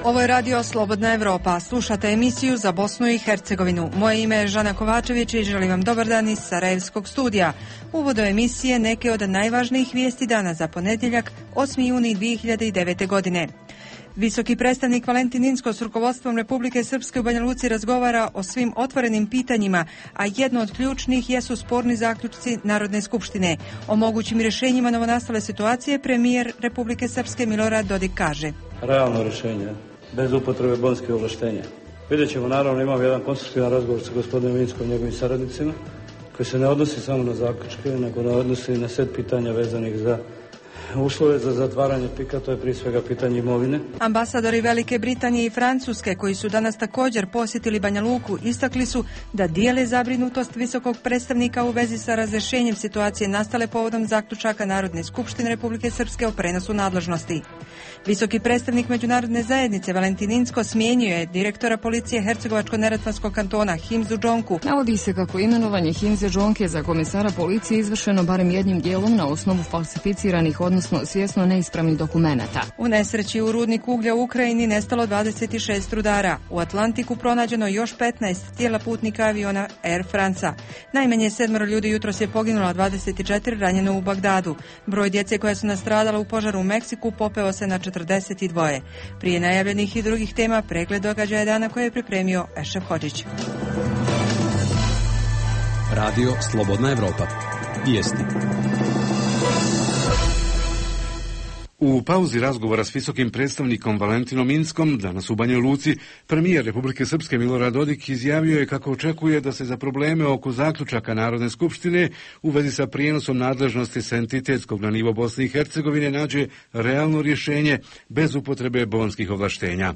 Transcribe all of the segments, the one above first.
Ovo je radio Slobodna Evropa. Slušate emisiju za Bosnu i Hercegovinu. Moje ime je Žana Kovačević i želim vam dobar dan iz Sarajevskog studija. Uvodu emisije neke od najvažnijih vijesti dana za ponedjeljak, 8. juni 2009. godine. Visoki predstavnik Valentin Inzko s rukovodstvom Republike Srpske u Banja Luci razgovara o svim otvorenim pitanjima, a jedno od ključnih jesu sporni zaključci Narodne skupštine. O mogućim rješenjima novonastale situacije premijer Republike Srpske Milorad Dodik kaže: Realno rješenje, bez upotrebe bonskih ovlaštenja. Vidjet ćemo, naravno, imamo jedan konstruktivan razgovor sa gospodinom Inskom i njegovim saradnicima, koji se ne odnosi samo na zaključke, nego ne odnosi i na set pitanja vezanih za uslove za zatvaranje pika, to je prije svega pitanje imovine. Ambasadori Velike Britanije i Francuske, koji su danas također posjetili Banja Luku, istakli su da dijele zabrinutost visokog predstavnika u vezi sa razrješenjem situacije nastale povodom zaključaka Narodne skupštine Republike Srpske o prenosu nadležnosti. Visoki predstavnik međunarodne zajednice Valentin Inzko smijenio je direktora policije Hercegovačko-neretvanskog kantona Himzu Džonku. Navodi se kako imenovanje Himze Džonke za komesara policije izvršeno barem jednim dijelom na osnovu falsificiranih, odnosno svjesno neispravnih dokumenata. U nesreći u rudniku uglja u Ukrajini nestalo 26 rudara. U Atlantiku pronađeno još 15 tijela putnika aviona Air France-a. Najmanje 7 ljudi jutros je poginulo, a 24 ranjeno u Bagdadu. Broj djece koja su nastradala u požaru u Meksiku popeo se na 42. Prije najavljenih i drugih tema, pregled događaja dana koje je pripremio Ešef Hodžić. Radio Slobodna Evropa. Vijesti. U pauzi razgovora s visokim predstavnikom Valentinom Inzkom danas u Banja Luci, premijer Republike Srpske Milorad Dodik izjavio je kako očekuje da se za probleme oko zaključaka Narodne skupštine u vezi sa prijenosom nadležnosti sa entitetskog na nivo Bosne i Hercegovine nađe realno rješenje bez upotrebe bonskih ovlaštenja.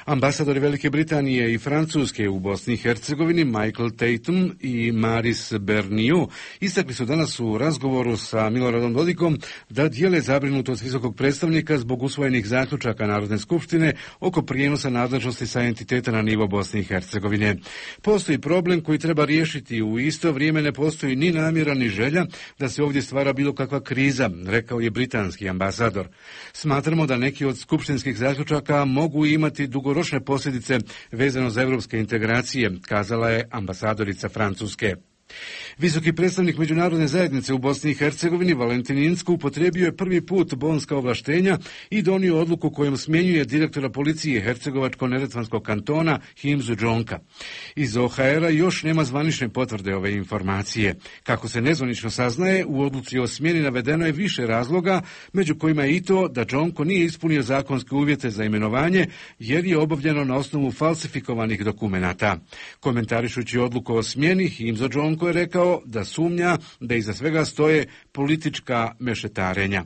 Ambasadori Velike Britanije i Francuske u Bosni i Hercegovini Michael Tatum i Maris Bernier istakli su danas u razgovoru sa Miloradom Dodikom da dijele zabrinutost visokog predstavnika zbog usvojenih zaključaka Narodne skupštine oko prijenosa nadležnosti sa entiteta na nivo Bosne i Hercegovine. Postoji problem koji treba riješiti, u isto vrijeme ne postoji ni namjera ni želja da se ovdje stvara bilo kakva kriza, rekao je britanski ambasador. Smatramo da neki od skupštinskih zaključaka mogu imati dugoročne posljedice vezano za evropske integracije, kazala je ambasadorica Francuske. Visoki predstavnik međunarodne zajednice u Bosni i Hercegovini Valentin Inzko upotrijebio je prvi put bonska ovlaštenja i donio odluku kojom smjenjuje direktora policije Hercegovačko-neretvanskog kantona Himzu Džonka. Iz OHR-a još nema zvanične potvrde ove informacije. Kako se nezvanično saznaje, u odluci o smjeni navedeno je više razloga, među kojima je i to da Džonko nije ispunio zakonske uvjete za imenovanje jer je obavljeno na osnovu falsifikovanih dokumenata. Komentarišući odluku o smjeni, Himzo Džonko je rekao da sumnja da iza svega stoje politička mešetarenja.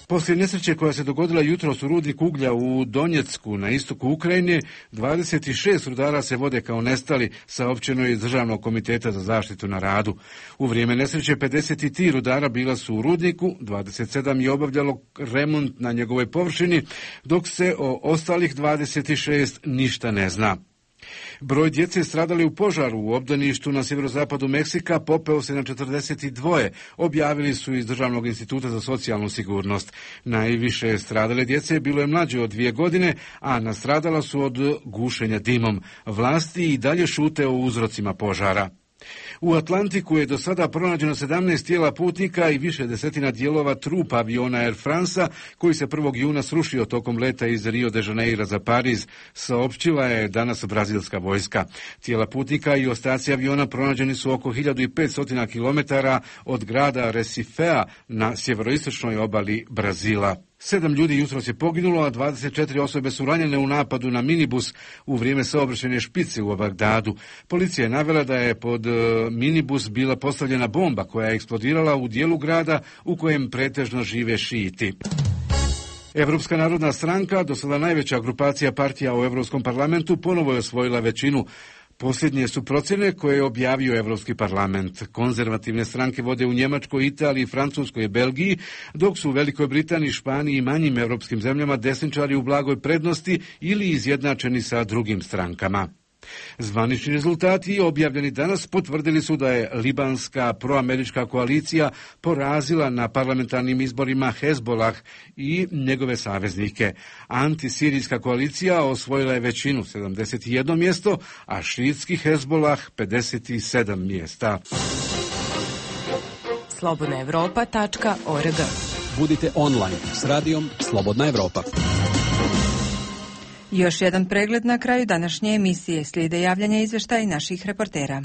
Poslije nesreće koja se dogodila jutros u rudniku uglja u Donjecku na istoku Ukrajine, 26 rudara se vode kao nestali, saopćeno je iz Državnog komiteta za zaštitu na radu. U vrijeme nesreće 53 rudara bila su u rudniku, 27 je obavljalo remont na njegovoj površini, dok se o ostalih 26 ništa ne zna. Broj djece stradali u požaru u obdaništu na sjeverozapadu Meksika popeo se na 42, objavili su iz Državnog instituta za socijalnu sigurnost. Najviše stradale djece bilo je mlađe od 2 godine, a nastradala su od gušenja dimom. Vlasti i dalje šute o uzrocima požara. U Atlantiku je do sada pronađeno 17 tijela putnika i više desetina dijelova trupa aviona Air France-a koji se 1. juna srušio tokom leta iz Rio de Janeira za Pariz, saopćila je danas brazilska vojska. Tijela putnika i ostaci aviona pronađeni su oko 1500 km od grada Recifea na sjeveroistočnoj obali Brazila. 7 ljudi jutros je poginulo, a 24 osobe su ranjene u napadu na minibus u vrijeme saobraćajne špice u Bagdadu. Policija je navela da je pod minibus bila postavljena bomba koja je eksplodirala u dijelu grada u kojem pretežno žive šijiti. Evropska narodna stranka, do sada najveća grupacija partija u Europskom parlamentu, ponovo je osvojila većinu. Posljednje su procjene koje je objavio Evropski parlament. Konzervativne stranke vode u Njemačkoj, Italiji, Francuskoj i Belgiji, dok su u Velikoj Britaniji, Španiji i manjim europskim zemljama desničari u blagoj prednosti ili izjednačeni sa drugim strankama. Zvanični rezultati objavljeni danas potvrdili su da je libanska proamerička koalicija porazila na parlamentarnim izborima Hezbolah i njegove saveznike. Antisirijska koalicija osvojila je većinu 71 mjesto, a šiitski Hezbolah 57 mjesta. slobodnaevropa.org. Budite online s radijom Slobodna Evropa. Još jedan pregled na kraju današnje emisije. Slijede javljanja izvještaja naših reportera.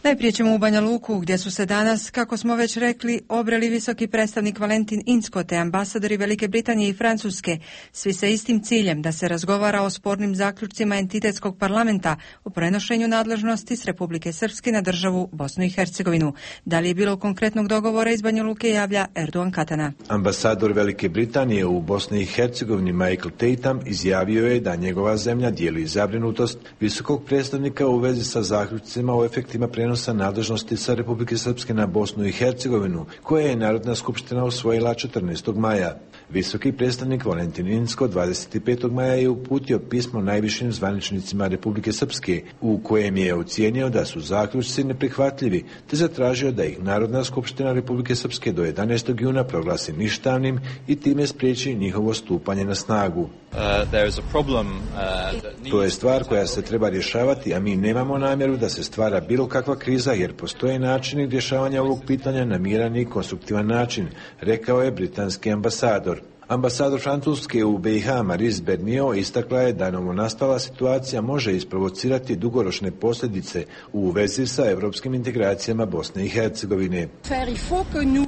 Najprije ćemo u Banja Luku, gdje su se danas, kako smo već rekli, obreli visoki predstavnik Valentin Inzko te ambasadori Velike Britanije i Francuske, svi sa istim ciljem da se razgovara o spornim zaključcima entitetskog parlamenta u prenošenju nadležnosti s Republike Srpske na državu Bosnu i Hercegovinu. Da li je bilo konkretnog dogovora iz Banja Luke, javlja Erdogan Katana. Ambasador Velike Britanije u Bosni i Hercegovini Michael Tatham izjavio je da njegova zemlja dijeli zabrinutost visokog predstavnika u vezi sa zaključcima o efektima prenosa nadležnosti sa Republike Srpske na Bosnu i Hercegovinu, koje je Narodna skupština usvojila 14. maja. Visoki predstavnik Valentin Inzko 25. maja je uputio pismo najvišim zvaničnicima Republike Srpske, u kojem je ocijenio da su zaključci neprihvatljivi, te zatražio da ih Narodna skupština Republike Srpske do 11. juna proglasi ništavnim i time spriječi njihovo stupanje na snagu. To je stvar koja se treba rješavati, a mi nemamo namjeru da se stvara bilo kakva kriza, jer postoje načini rješavanja ovog pitanja na miran i konstruktivan način, rekao je britanski ambasador. Ambasador Francuske u BiH Maryse Bernio istakla je da novonastala situacija može isprovocirati dugoročne posljedice u vezi sa europskim integracijama Bosne i Hercegovine.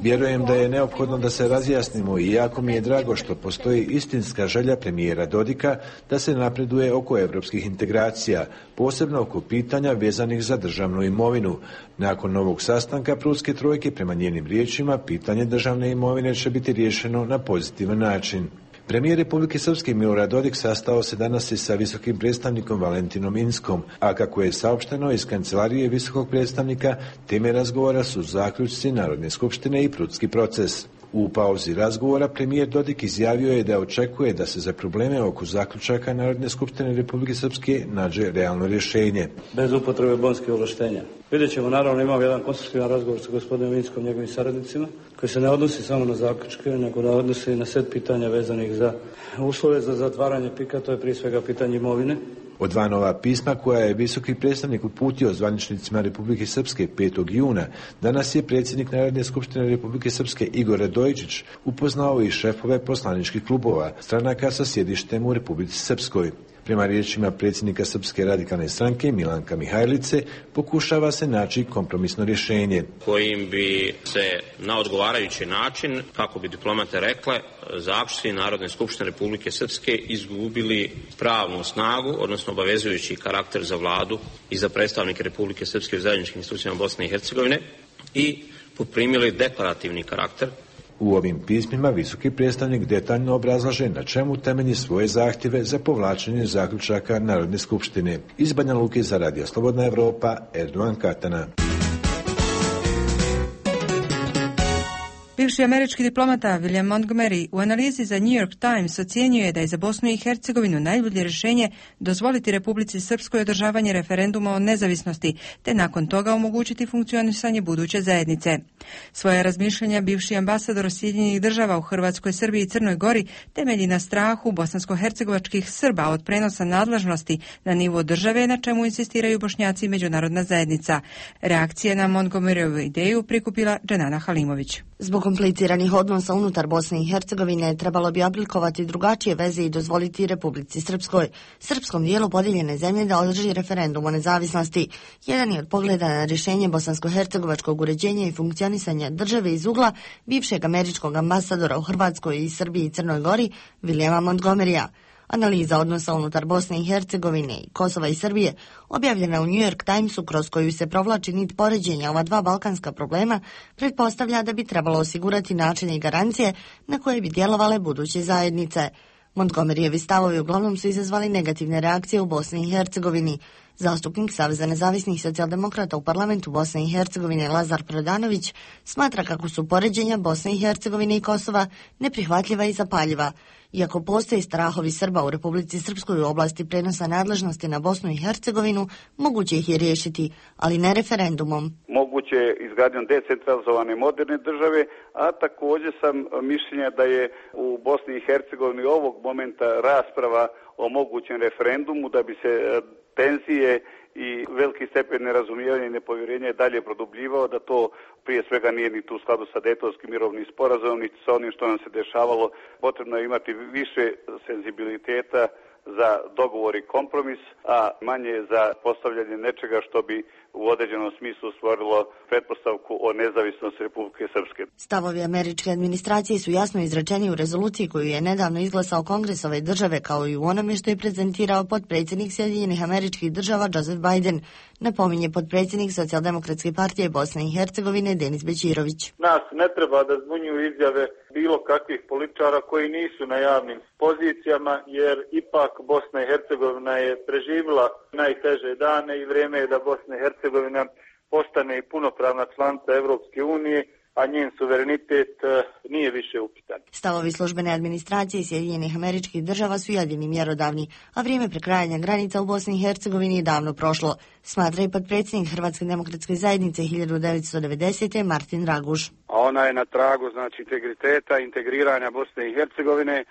Vjerujem da je neophodno da se razjasnimo i jako mi je drago što postoji istinska želja premijera Dodika da se napreduje oko europskih integracija, posebno oko pitanja vezanih za državnu imovinu. Nakon ovog sastanka Prudske trojke, prema njenim riječima, pitanje državne imovine će biti riješeno na pozitivan način. Premijer Republike Srpske Milorad Dodik sastao se danas i sa visokim predstavnikom Valentinom Inzkom, a kako je saopšteno iz kancelarije visokog predstavnika, teme razgovora su zaključci Narodne skupštine i Prudski proces. U pauzi razgovora premijer Dodik izjavio je da očekuje da se za probleme oko zaključaka Narodne skupštine Republike Srpske nađe realno rješenje. Bez upotrebe bonskih ovlaštenja. Vidjet ćemo, naravno, imamo jedan konstruktivan razgovor sa gospodinom Inskom i njegovim saradnicima, koji se ne odnosi samo na zaključke, nego da odnosi i na set pitanja vezanih za uslove za zatvaranje PIK-a, to je prije svega pitanje imovine. Od dva nova pisma koja je visoki predstavnik uputio zvaničnicima Republike Srpske 5. juna, danas je predsjednik Narodne skupštine Republike Srpske Igor Radojičić upoznao i šefove poslaničkih klubova stranaka sa sjedištem u Republici Srpskoj. Prema riječima predsjednika Srpske radikalne stranke Milanka Mihajlice, pokušava se naći kompromisno rješenje kojim bi se na odgovarajući način, kako bi diplomate rekle, zaključci Narodne skupštine Republike Srpske izgubili pravnu snagu, odnosno obavezujući karakter za vladu i za predstavnike Republike Srpske u zajedničkim institucijama Bosne i Hercegovine i poprimili deklarativni karakter. U ovim pismima visoki predstavnik detaljno obrazlaže na čemu temelji svoje zahtjeve za povlačenje zaključaka Narodne skupštine. Iz Banja Luke za Radio Slobodna Evropa, Erdogan Katana. Bivši američki diplomata William Montgomery u analizi za New York Times ocjenjuje da je za Bosnu i Hercegovinu najbolje rješenje dozvoliti Republici Srpskoj održavanje referenduma o nezavisnosti, te nakon toga omogućiti funkcionisanje buduće zajednice. Svoje razmišljanja bivši ambasador Sjedinjenih država u Hrvatskoj, Srbiji i Crnoj Gori temelji na strahu bosansko-hercegovačkih Srba od prenosa nadležnosti na nivo države, na čemu insistiraju Bošnjaci i međunarodna zajednica. Reakcije na Montgomeryovu ideju prikupila Dženana Halimović. Zbog kompliciranih odnosa unutar Bosne i Hercegovine trebalo bi oblikovati drugačije veze i dozvoliti Republici Srpskoj, srpskom dijelu podijeljene zemlje, da održi referendum o nezavisnosti. Jedan je od pogleda na rješenje bosansko-hercegovačkog uređenja i funkcionisanja države iz ugla bivšeg američkog ambasadora u Hrvatskoj i Srbiji i Crnoj Gori, Williama Montgomerya. Analiza odnosa unutar Bosne i Hercegovine i Kosova i Srbije, objavljena u New York Timesu, kroz koju se provlači nit poređenja ova dva balkanska problema, pretpostavlja da bi trebalo osigurati načine i garancije na koje bi djelovale buduće zajednice. Montgomerijevi stavovi uglavnom su izazvali negativne reakcije u Bosni i Hercegovini. Zastupnik Saveza nezavisnih socijaldemokrata u parlamentu Bosne i Hercegovine Lazar Prodanović smatra kako su poređenja Bosne i Hercegovine i Kosova neprihvatljiva i zapaljiva. Iako postoji strahovi Srba u Republici Srpskoj u oblasti prenosa nadležnosti na Bosnu i Hercegovinu, moguće ih je riješiti, ali ne referendumom. Moguće je izgradnjom decentralizovane moderne države, a također sam mišljenja da je u Bosni i Hercegovini ovog momenta rasprava o mogućem referendumu da bi se tenzije i veliki stepen nerazumijevanja i nepovjerenja je dalje produbljivao, da to prije svega nije ni tu u skladu sa Dejtonskim mirovnim sporazumom, niti sa onim što nam se dešavalo. Potrebno je imati više senzibiliteta za dogovor i kompromis, a manje za postavljanje nečega što bi u određenom smislu stvorilo pretpostavku o nezavisnosti Republike Srpske. Stavovi američke administracije su jasno izrečeni u rezoluciji koju je nedavno izglasao Kongres ove države, kao i u onome što je prezentirao potpredsjednik Sjedinjenih Američkih Država Joseph Biden, napominje potpredsjednik Socijaldemokratske partije Bosne i Hercegovine Denis Bećirović. Nas ne treba da zbunjuju izjave bilo kakvih političara koji nisu na javnim pozicijama, jer ipak Bosna i Hercegovina je preživjela najteže dane i vrijeme je da Bosna i Hercegovina postane i punopravna članica Evropske unije, a njen suverenitet nije više upitan. Stavovi službene administracije Sjedinjenih Američkih Država su jedini mjerodavni, a vrijeme prekrajanja granica u Bosni i Hercegovini je davno prošlo, smatra i potpredsjednik Hrvatske demokratske zajednice 1990. Martin Raguž. A ona je na tragu integriteta, integriranja Bosne i Hercegovine,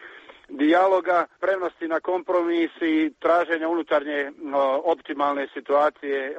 dijaloga, spremnosti na kompromis i traženja unutarnje optimalne situacije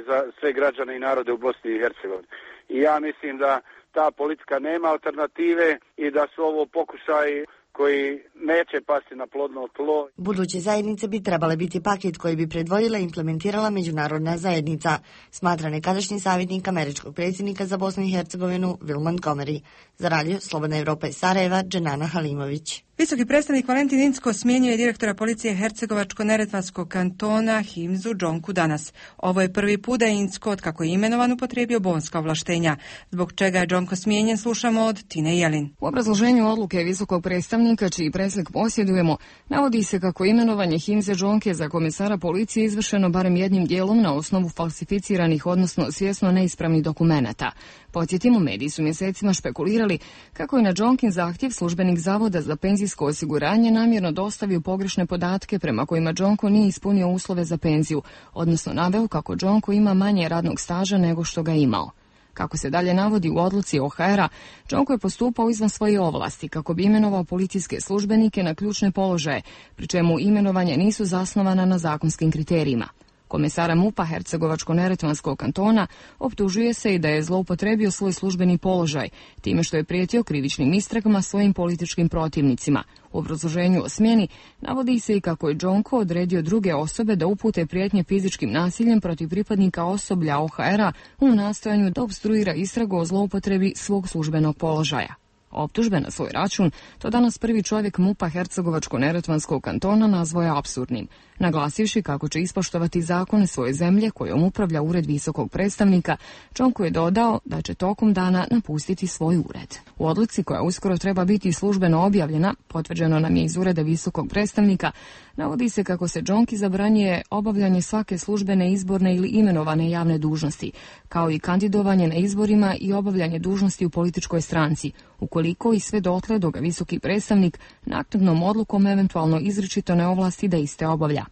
za sve građane i narode u Bosni i Hercegovini. I ja mislim da ta politika nema alternative i da su ovo pokušaji koji neće pasti na plodno tlo. Buduće zajednice bi trebale biti paket koji bi predvodila i implementirala međunarodna zajednica, smatra nekadašnji savjetnik američkog predsjednika za Bosnu i Hercegovinu Will Montgomery. Za radio Slobodna Evropa iz Sarajeva, Dženana Halimović. Visoki predstavnik Valentin Incko smijenio je direktora policije Hercegovačko-neretvanskog kantona Himzu Džonku danas. Ovo je prvi put da je Incko, otkako je imenovan, upotrijebio bonska ovlaštenja. Zbog čega je Džonko smijenjen, slušamo od Tine Jelin. U obrazloženju odluke visokog predstavnika, čiji preslik posjedujemo, navodi se kako imenovanje Himze Džonke za komisara policije izvršeno barem jednim dijelom na osnovu falsificiranih, odnosno svjesno neispravnih dokumenata. Podsjetimo, mediji su mjesecima špekulirali kako je na Džonkin zahtjev službenik Zavoda za penzijsko osiguranje namjerno dostavio pogrešne podatke prema kojima Džonko nije ispunio uslove za penziju, odnosno naveo kako Džonko ima manje radnog staža nego što ga imao. Kako se dalje navodi u odluci OHR-a, Džonko je postupao izvan svoje ovlasti kako bi imenovao policijske službenike na ključne položaje, pri čemu imenovanja nisu zasnovana na zakonskim kriterijima. Komesara MUP-a Hercegovačko-neretvanskog kantona optužuje se i da je zloupotrebio svoj službeni položaj, time što je prijetio krivičnim istragama svojim političkim protivnicima. U obrazloženju o smjeni navodi se i kako je Džonko odredio druge osobe da upute prijetnje fizičkim nasiljem protiv pripadnika osoblja OHR-a u nastojanju da opstruira istragu o zloupotrebi svog službenog položaja. Optužbe na svoj račun to danas prvi čovjek MUP-a Hercegovačko-neretvanskog kantona nazvao je apsurdnim, naglasivši kako će ispoštovati zakone svoje zemlje kojom upravlja ured visokog predstavnika. Džonko je dodao da će tokom dana napustiti svoj ured. U odluci koja uskoro treba biti službeno objavljena, potvrđeno nam je iz ureda visokog predstavnika, navodi se kako se Džonki zabranjuje obavljanje svake službene, izborne ili imenovane javne dužnosti, kao i kandidovanje na izborima i obavljanje dužnosti u političkoj stranci, ukoliko i sve dotle dok ga visoki predstavnik naknadnom odlukom eventualno izričito ne ovlasti da iste obavlja.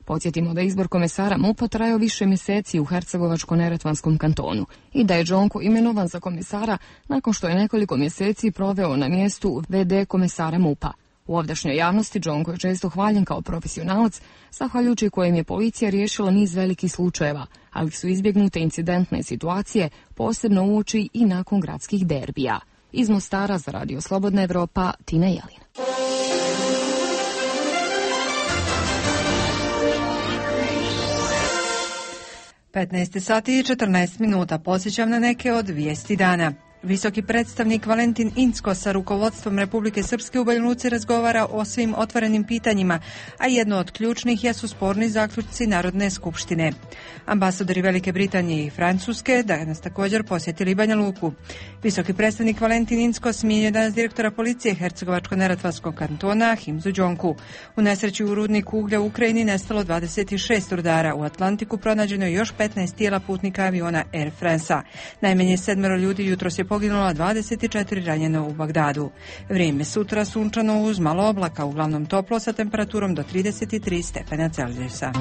Podsjetimo da izbor komesara MUP-a trajao više mjeseci u Hercegovačko-neretvanskom kantonu i da je Džonko imenovan za komesara nakon što je nekoliko mjeseci proveo na mjestu VD komesara MUP-a. U ovdašnjoj javnosti Džonko je često hvaljen kao profesionalac, zahvaljujući kojem je policija riješila niz velikih slučajeva, ali su izbjegnute incidentne situacije, posebno uoči i nakon gradskih derbija. Iz Mostara za radio Slobodna Evropa, Tina Jelin. Petnaest sati i 14 minuta. Podsjećam na neke od vijesti dana. Visoki predstavnik Valentin Incko sa rukovodstvom Republike Srpske u Banja Luci razgovara o svim otvorenim pitanjima, a jedno od ključnih jesu sporni zaključci Narodne skupštine. Ambasadori Velike Britanije i Francuske danas također posjetili Banja Luku. Visoki predstavnik Valentin Incko smijenio danas direktora policije Hercegovačko-neretvanskog kantona Himzu Đonku. U nesreći u rudniku uglja u Ukrajini nestalo 26 rudara. U Atlantiku pronađeno je još 15 tijela putnika aviona Air France-a. Najmanje 7 ljudi jutros je poginulo, 24 ranjeno u Bagdadu. Vrijeme sutra sunčano uz malo oblaka, uglavnom toplo sa temperaturom do 33 stepena Celzijusa.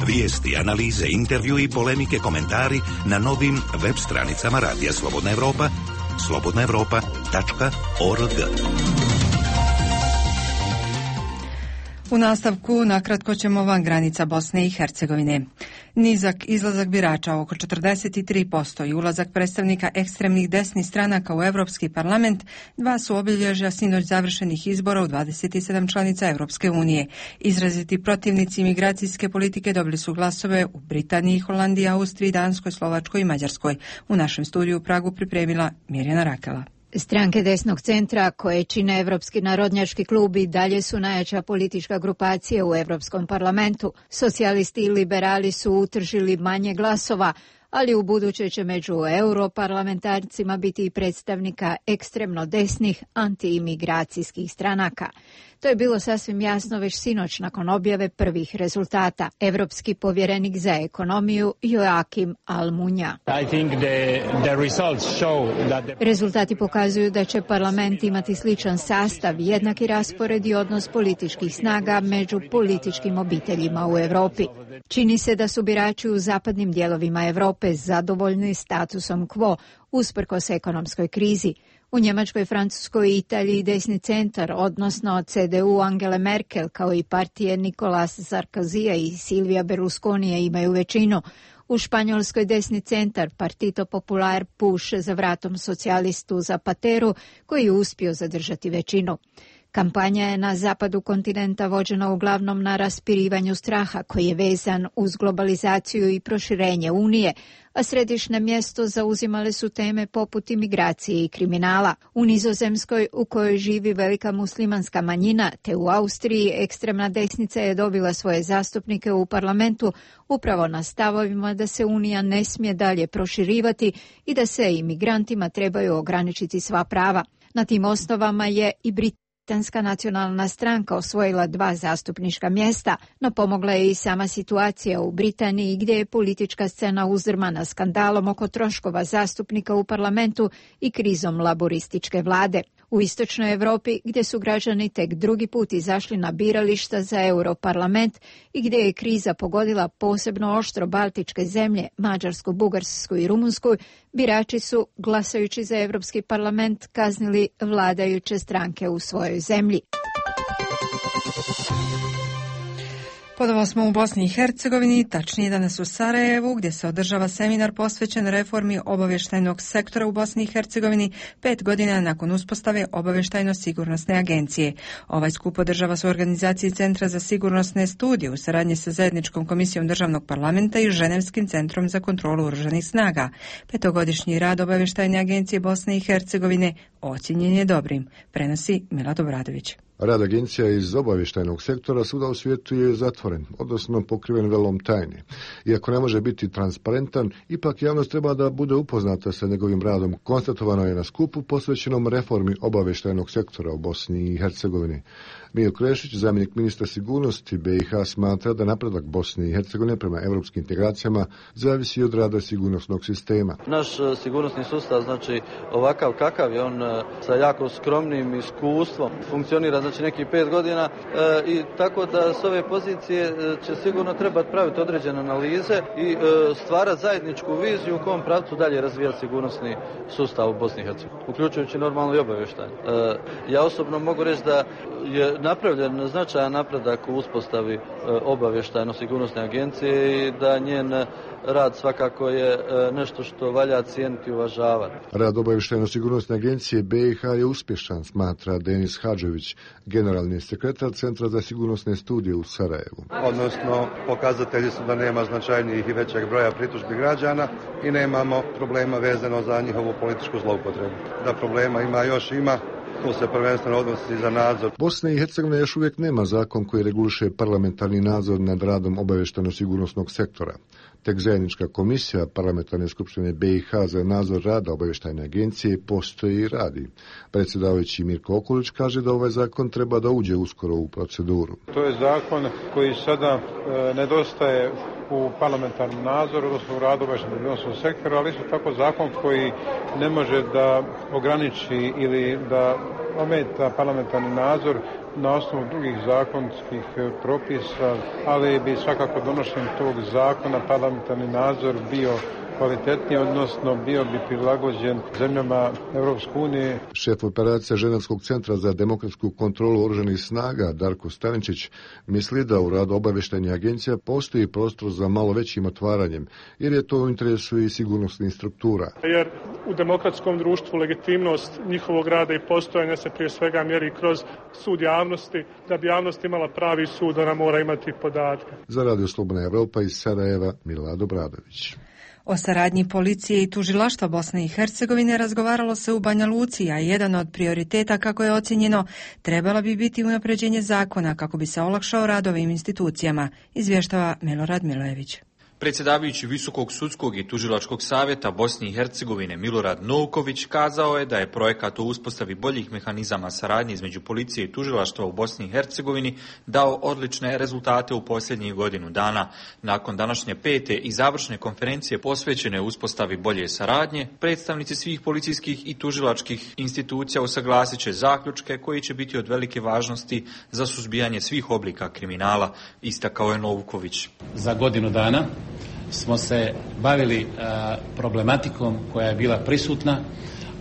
Vijesti, analize, intervju i polemike, komentari na novim web stranicama Radija Slobodna Evropa, slobodnaevropa.org. U nastavku nakratko ćemo van granica Bosne i Hercegovine. Nizak izlazak birača oko 43% i ulazak predstavnika ekstremnih desnih stranaka u Europski parlament dva su obilježja sinoć završenih izbora u 27 članica Europske unije. Izraziti protivnici imigracijske politike dobili su glasove u Britaniji, Holandiji, Austriji, Danskoj, Slovačkoj i Mađarskoj. U našem studiju u Pragu pripremila Mirjana Rakela. Stranke desnog centra koje čine Evropski narodnjački klub i dalje su najjača politička grupacija u Europskom parlamentu. Socijalisti i liberali su utržili manje glasova, ali u buduće će među europarlamentarcima biti i predstavnika ekstremno desnih antiimigracijskih stranaka. To je bilo sasvim jasno već sinoć nakon objave prvih rezultata. Evropski povjerenik za ekonomiju Joakim Almunia. Rezultati pokazuju da će parlament imati sličan sastav, jednaki raspored i odnos političkih snaga među političkim obiteljima u Europi. Čini se da su birači u zapadnim dijelovima Europe zadovoljni statusom quo usprkos ekonomskoj krizi. U Njemačkoj, Francuskoj i Italiji desni centar, odnosno CDU Angele Merkel, kao i partije Nicolas Sarkozija i Silvia Berlusconija imaju većinu. U Španjolskoj desni centar, Partito Popular, puše za vratom socijalistu Zapateru, koji je uspio zadržati većinu. Kampanja je na zapadu kontinenta vođena uglavnom na raspirivanju straha koji je vezan uz globalizaciju i proširenje Unije, a središnje mjesto zauzimale su teme poput imigracije i kriminala. U Nizozemskoj, u kojoj živi velika muslimanska manjina, te u Austriji ekstremna desnica je dobila svoje zastupnike u parlamentu upravo na stavovima da se Unija ne smije dalje proširivati i da se imigrantima trebaju ograničiti sva prava. Na tim osnovama je i Britanska nacionalna stranka osvojila 2 zastupnička mjesta, no pomogla je i sama situacija u Britaniji gdje je politička scena uzdrmana skandalom oko troškova zastupnika u parlamentu i krizom laborističke vlade. U istočnoj Europi, gdje su građani tek drugi put izašli na birališta za Europarlament i gdje je kriza pogodila posebno oštro baltičke zemlje, Mađarsku, Bugarsku i Rumunsku, birači su, glasajući za Europski parlament, kaznili vladajuće stranke u svojoj zemlji. Ponovo smo u Bosni i Hercegovini, tačnije danas u Sarajevu, gdje se održava seminar posvećen reformi obavještajnog sektora u Bosni i Hercegovini 5 godina nakon uspostave obavještajno-sigurnosne agencije. Ovaj skup održava se u organizaciji Centra za sigurnosne studije u saradnji sa Zajedničkom komisijom državnog parlamenta i Ženevskim centrom za kontrolu oružanih snaga. 5-godišnji rad obavještajne agencije Bosne i Hercegovine ocijenjen je dobrim, prenosi Milad Obradović. Rad agencija iz obavještajnog sektora svuda u svijetu je zatvoren, odnosno pokriven velom tajne. Iako ne može biti transparentan, ipak javnost treba da bude upoznata sa njegovim radom. Konstatovano je na skupu posvećenom reformi obavještajnog sektora u Bosni i Hercegovini. Mijo Krešić, zamjenik ministra sigurnosti BiH, smatra da napredak Bosne i Hercegovine prema europskim integracijama zavisi od rada sigurnosnog sistema. Naš sigurnosni sustav, znači ovakav kakav je on, sa jako skromnim iskustvom, funkcionira znači nekih 5 godina i tako da s ove pozicije će sigurno trebati praviti određene analize i stvarati zajedničku viziju u kom pravcu dalje razvijati sigurnosni sustav u Bosni i Hercegovini, uključujući normalno i obavještajno. Ja osobno mogu reći da je napravljen značajan napredak u uspostavi obavještajno-sigurnosne agencije i da njen rad svakako je nešto što valja cijeniti i uvažavati. Rad obavještajno-sigurnosne agencije BiH je uspješan, smatra Denis Hadžević, generalni sekretar Centra za sigurnosne studije u Sarajevu. Odnosno, pokazatelji su da nema značajnijih i većeg broja pritužbi građana i nemamo problema vezano za njihovu političku zloupotrebu. Da problema ima, to se prvenstveno odnosi za nadzor. Bosna i Hercegovina još uvijek nema zakon koji reguliše parlamentarni nadzor nad radom obavještajno-sigurnosnog sektora. Tek zajednička komisija Parlamentarne skupštine BiH za nadzor rada obavještajne agencije postoji i radi. Predsjedavajući Mirko Okulić kaže da ovaj zakon treba da uđe uskoro u proceduru. To je zakon koji sada nedostaje u parlamentarnom nadzoru, odnosno u radu obavještajno-sigurnosnog sektora, ali isto tako zakon koji ne može da ograniči ili da ometa parlamentarni nadzor na osnovu drugih zakonskih propisa, ali bi svakako donošenjem tog zakona parlamentarni nadzor bio kvalitetniji, odnosno bio bi prilagođen zemljama Europske unije. Šef operacija Ženevskog centra za demokratsku kontrolu oružanih snaga Darko Staničić misli da u radu obavještajnih agencija postoji prostor za malo većim otvaranjem, jer je to u interesu i sigurnosnih struktura. Jer u demokratskom društvu legitimnost njihovog rada i postojanja se prije svega mjeri kroz sud javnosti. Da bi javnost imala pravi sud, ona mora imati podatke. Za Radio Slobodna Evropa iz Sarajeva, Milad Obradović. O saradnji policije i tužilaštva Bosne i Hercegovine razgovaralo se u Banja Luci, a jedan od prioriteta, kako je ocjenjeno, trebalo bi biti unapređenje zakona kako bi se olakšao rad ovim institucijama, izvještava Milorad Milojević. Predsjedavajući Visokog sudskog i tužilačkog savjeta Bosne i Hercegovine Milorad Novković kazao je da je projekat o uspostavi boljih mehanizama saradnje između policije i tužilaštva u Bosni i Hercegovini dao odlične rezultate u posljednjih godinu dana. Nakon današnje 5. i završne konferencije posvećene uspostavi bolje saradnje, predstavnici svih policijskih i tužilačkih institucija usaglasit će zaključke koji će biti od velike važnosti za suzbijanje svih oblika kriminala, istakao je Novković. Za godinu dana smo se bavili problematikom koja je bila prisutna,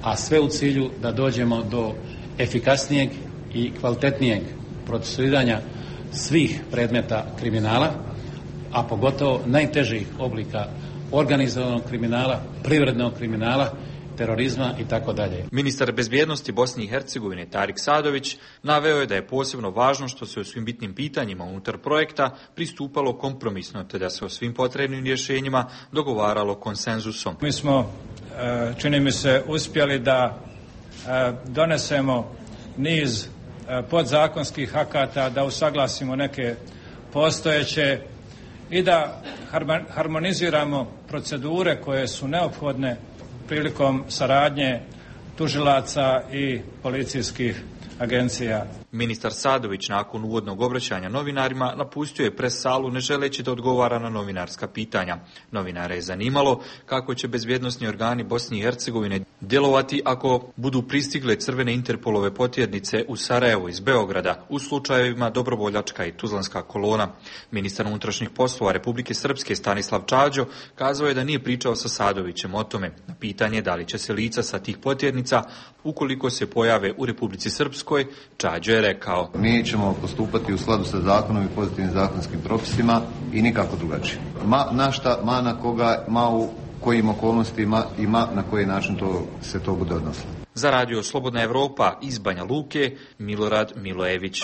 a sve u cilju da dođemo do efikasnijeg i kvalitetnijeg procesuiranja svih predmeta kriminala, a pogotovo najtežih oblika organizovanog kriminala, privrednog kriminala, terorizma i tako dalje. Ministar bezbjednosti Bosne i Hercegovine Tarik Sadović naveo je da je posebno važno što se o svim bitnim pitanjima unutar projekta pristupalo kompromisno, te da se o svim potrebnim rješenjima dogovaralo konsenzusom. Mi smo, čini mi se, uspjeli da donesemo niz podzakonskih akata, da usaglasimo neke postojeće i da harmoniziramo procedure koje su neophodne prilikom saradnje tužilaca i policijskih agencija. Ministar Sadović nakon uvodnog obraćanja novinarima napustio je pres salu ne želeći da odgovara na novinarska pitanja. Novinare je zanimalo kako će bezbjednosni organi Bosne i Hercegovine djelovati ako budu pristigle crvene Interpolove potjernice u Sarajevu iz Beograda u slučajevima Dobrovoljačka i Tuzlanska kolona. Ministar unutrašnjih poslova Republike Srpske Stanislav Čađo kazao je da nije pričao sa Sadovićem o tome. Na pitanje da li će se lica sa tih potjernica, ukoliko se pojave u Republici Srpskoj, Čađo je rekao: Mi ćemo postupati u skladu sa zakonom i pozitivnim zakonskim propisima i nikako drugačije. Na šta, na koga, u kojim okolnostima i na koji način se to bude odnosilo. Za Radio Slobodna Evropa iz Banja Luke, Milorad Milojević.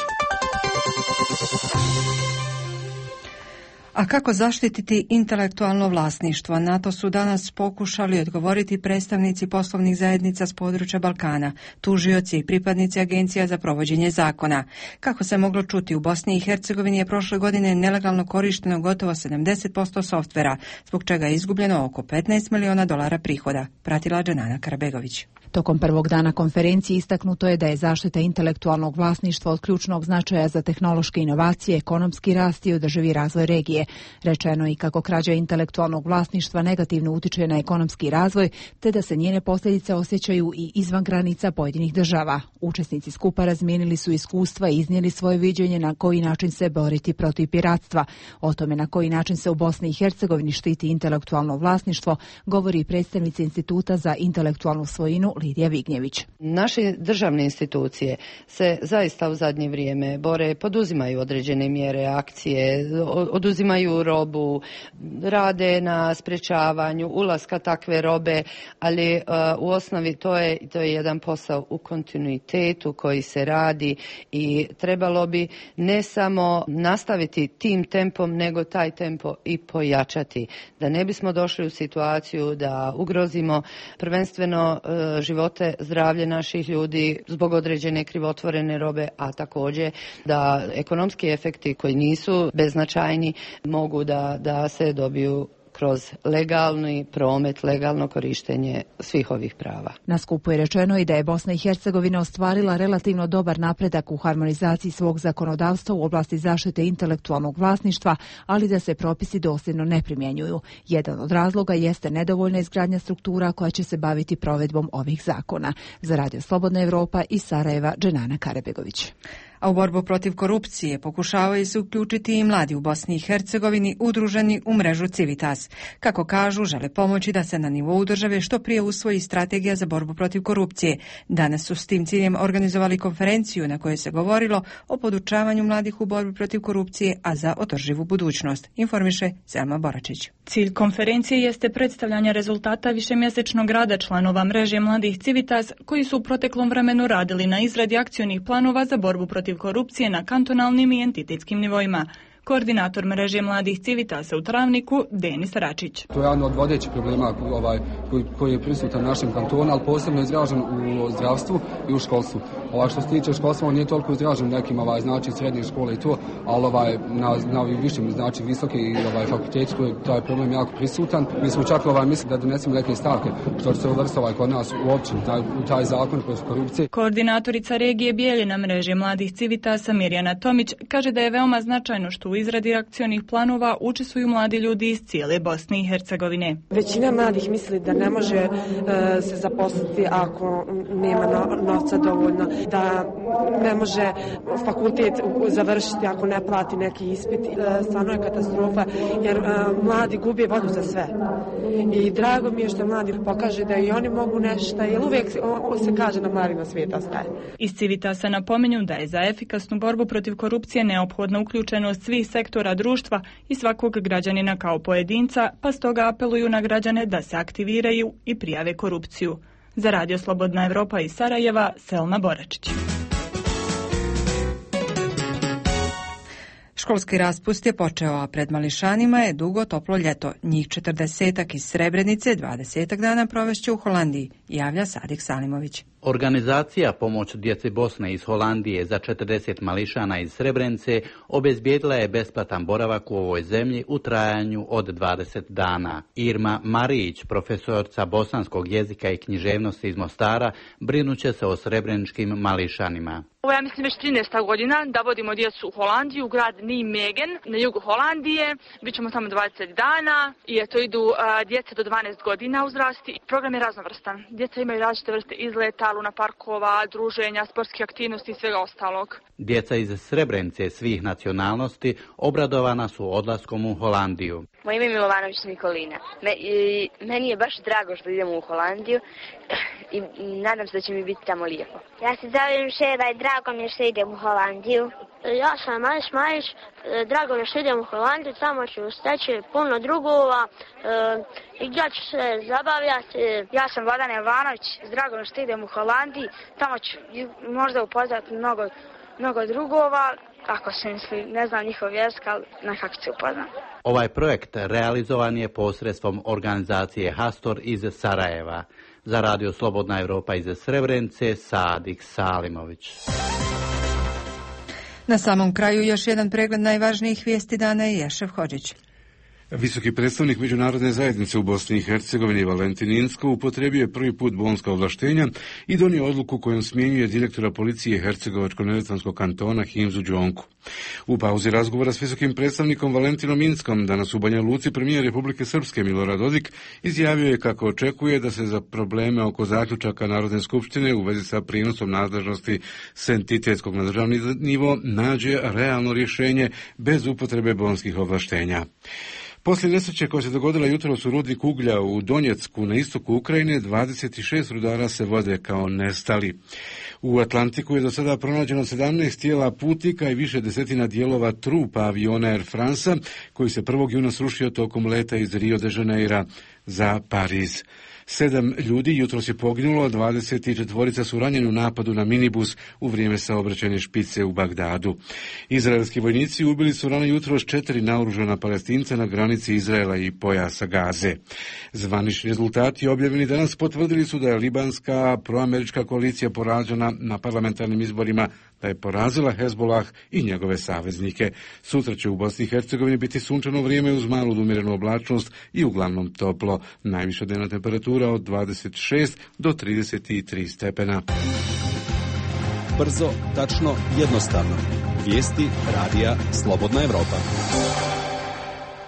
A kako zaštititi intelektualno vlasništvo? Na to su danas pokušali odgovoriti predstavnici poslovnih zajednica s područja Balkana, tužioci i pripadnici agencija za provođenje zakona. Kako se moglo čuti, u Bosni i Hercegovini je prošle godine nelegalno korišteno gotovo 70% softvera, zbog čega je izgubljeno oko $15 miliona prihoda. Pratila Dženana Karabegović. Tokom prvog dana konferencije istaknuto je da je zaštita intelektualnog vlasništva od ključnog značaja za tehnološke inovacije, ekonomski rast i održivi razvoj regije. Rečeno i kako krađa intelektualnog vlasništva negativno utiče na ekonomski razvoj, te da se njene posljedice osjećaju i izvan granica pojedinih država. Učesnici skupa razmijenili su iskustva i iznijeli svoje viđenje na koji način se boriti protiv piratstva. O tome na koji način se u Bosni i Hercegovini štiti intelektualno vlasništvo govori predstavnica Instituta za intelektualnu svojinu Lidija Vignjević. Naše državne institucije se zaista u zadnje vrijeme bore, poduzimaju određene mjere, akcije, oduzimaju uzimaju robu, rade na sprječavanju ulaska takve robe, ali u osnovi to je jedan posao u kontinuitetu koji se radi i trebalo bi ne samo nastaviti tim tempom, nego taj tempo i pojačati. Da ne bismo došli u situaciju da ugrozimo prvenstveno živote, zdravlje naših ljudi zbog određene krivotvorene robe, a također da ekonomski efekti koji nisu beznačajni mogu da se dobiju kroz legalni promet, legalno korištenje svih ovih prava. Na skupu je rečeno i da je Bosna i Hercegovina ostvarila relativno dobar napredak u harmonizaciji svog zakonodavstva u oblasti zaštite intelektualnog vlasništva, ali da se propisi dosljedno ne primjenjuju. Jedan od razloga jeste nedovoljna izgradnja struktura koja će se baviti provedbom ovih zakona. Za Radio Slobodna Evropa iz Sarajeva, Dženana Karebegović. A u borbu protiv korupcije pokušavaju se uključiti i mladi u Bosni i Hercegovini udruženi u mrežu Civitas. Kako kažu, žele pomoći da se na nivou države što prije usvoji strategija za borbu protiv korupcije. Danas su s tim ciljem organizovali konferenciju na kojoj se govorilo o podučavanju mladih u borbi protiv korupcije, a za održivu budućnost. Informiše Selma Boračić. Cilj konferencije jeste predstavljanje rezultata višemjesečnog rada članova mreže mladih Civitas koji su u proteklom vremenu radili na izradi akcionih planova za borbu protiv korupcije na kantonalnim i entitetskim nivoima. Koordinator mreže mladih Civitasa u Travniku, Denis Račić. To je jedan od vodećih problema koji je prisutan u našem kantonu, ali posebno izražen u zdravstvu i u školstvu. Što se tiče školstva, on nije toliko izražen nekim srednje škole i to, ali na ovim višim, visoke i fakulteti, taj problem jako prisutan. Mi smo čak mislili da donesemo neke stavke, što će se uvrstiti kod nas u općini, u taj zakon protiv korupcije. Koordinatorica regije Bijeljina mreže mladih Civitasa Mirjana Tomić kaže da je veoma značajno što u izradi akcionih planova učestvuju mladi ljudi iz cijele Bosne i Hercegovine. Većina mladih misli da ne može se zaposliti ako nema novca dovoljno, da ne može fakultet završiti ako ne plati neki ispit. Stvarno je katastrofa jer mladi gube vodu za sve. I drago mi je što mladi pokaže da i oni mogu nešto, jer uvijek se kaže na mladima svijet ostaje. Iz Civitasa napominju da je za efikasnu borbu protiv korupcije neophodna uključenost svih sektora društva i svakog građanina kao pojedinca, pa stoga apeluju na građane da se aktiviraju i prijave korupciju. Za Radio Slobodna Evropa iz Sarajeva, Selma Boračić. Školski raspust je počeo, a pred mališanima je dugo toplo ljeto. Njih 40 iz Srebrenice 20 dana provešće u Holandiji, javlja Sadik Salimović. Organizacija Pomoć djeci Bosne iz Holandije za 40 mališana iz Srebrenice obezbijedila je besplatan boravak u ovoj zemlji u trajanju od 20 dana. Irma Marić, profesorca bosanskog jezika i književnosti iz Mostara, brinuće se o srebreničkim mališanima. Ovo ja mislim već 13. godina da vodimo djecu u Holandiju, u grad Nijmegen na jugu Holandije. Bićemo tamo 20 dana i eto idu djeca do 12 godina uzrasti. Program je raznovrstan. Djeca imaju različite vrste izleta, luna parkova, druženja, sportskih aktivnosti i svega ostalog. Djeca iz Srebrenice svih nacionalnosti obradovana su odlaskom u Holandiju. Moje ime je Milovanović Nikolina. Meni je baš drago što idemo u Holandiju i nadam se da će mi biti tamo lijepo. Ja se zovem Šera i drago mi je što idem u Holandiju. Ja sam Majs Majić, drago mi je što idem u Holandiju, tamo ću steći puno drugova i ja ću se zabavljati. Ja sam Vladan Jovanović, drago mi je što idem u Holandiji, tamo ću možda upoznati mnogo drugova, ako se misli, ne znam njihov jezik, ali nekako se upoznam. Ovaj projekt realizovan je posredstvom organizacije Hastor iz Sarajeva. Za Radio Slobodna Evropa iz Srebrenice, Sadik Salimović. Na samom kraju još jedan pregled najvažnijih vijesti dana je Ješev Hodžić. Visoki predstavnik međunarodne zajednice u Bosni i Hercegovini Valentin Inzko upotrijebio je prvi put bonska ovlaštenja i donio odluku kojom smjenjuje direktora policije Hercegovačko-neretvanskog kantona Himzu Džonku. U pauzi razgovora s visokim predstavnikom Valentinom Inskom danas u Banja Luci premijer Republike Srpske Milorad Dodik izjavio je kako očekuje da se za probleme oko zaključaka Narodne skupštine u vezi sa prinosom nadležnosti s entitetskog na državni nivo nađe realno rješenje bez upotrebe bonskih ovlaštenja. Poslije nesreće koja se dogodila jutros u rudniku uglja u Donjecku na istoku Ukrajine, 26 rudara se vode kao nestali. U Atlantiku je do sada pronađeno 17 tijela putnika i više desetina dijelova trupa aviona Air Franca, koji se 1. juna srušio tokom leta iz Rio de Janeira za Pariz. 7 ljudi jutros je poginulo, 24 su ranjeni u napadu na minibus u vrijeme saobraćajne špice u Bagdadu. Izraelski vojnici ubili su rano jutros 4 naoružana Palestinca na granici Izraela i pojasa Gaze. Zvanični rezultati objavljeni danas potvrdili su da je libanska proamerička koalicija poražena na parlamentarnim izborima, da je porazila Hezbolah i njegove saveznike. Sutra će u Bosni i Hercegovini biti sunčano vrijeme uz malu umjerenu oblačnost i uglavnom toplo. Najviša dnevna temperatura od 26 do 33 stepena. Brzo, tačno, jednostavno. Vijesti radija Slobodna Evropa.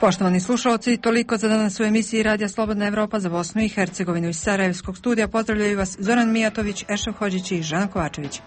Poštovani slušalci, toliko za danas u emisiji Radija Slobodna Evropa za Bosnu i Hercegovinu. Iz Sarajevskog studija pozdravljaju vas Zoran Mijatović, Ešef Hodžić i Žana Kovačević.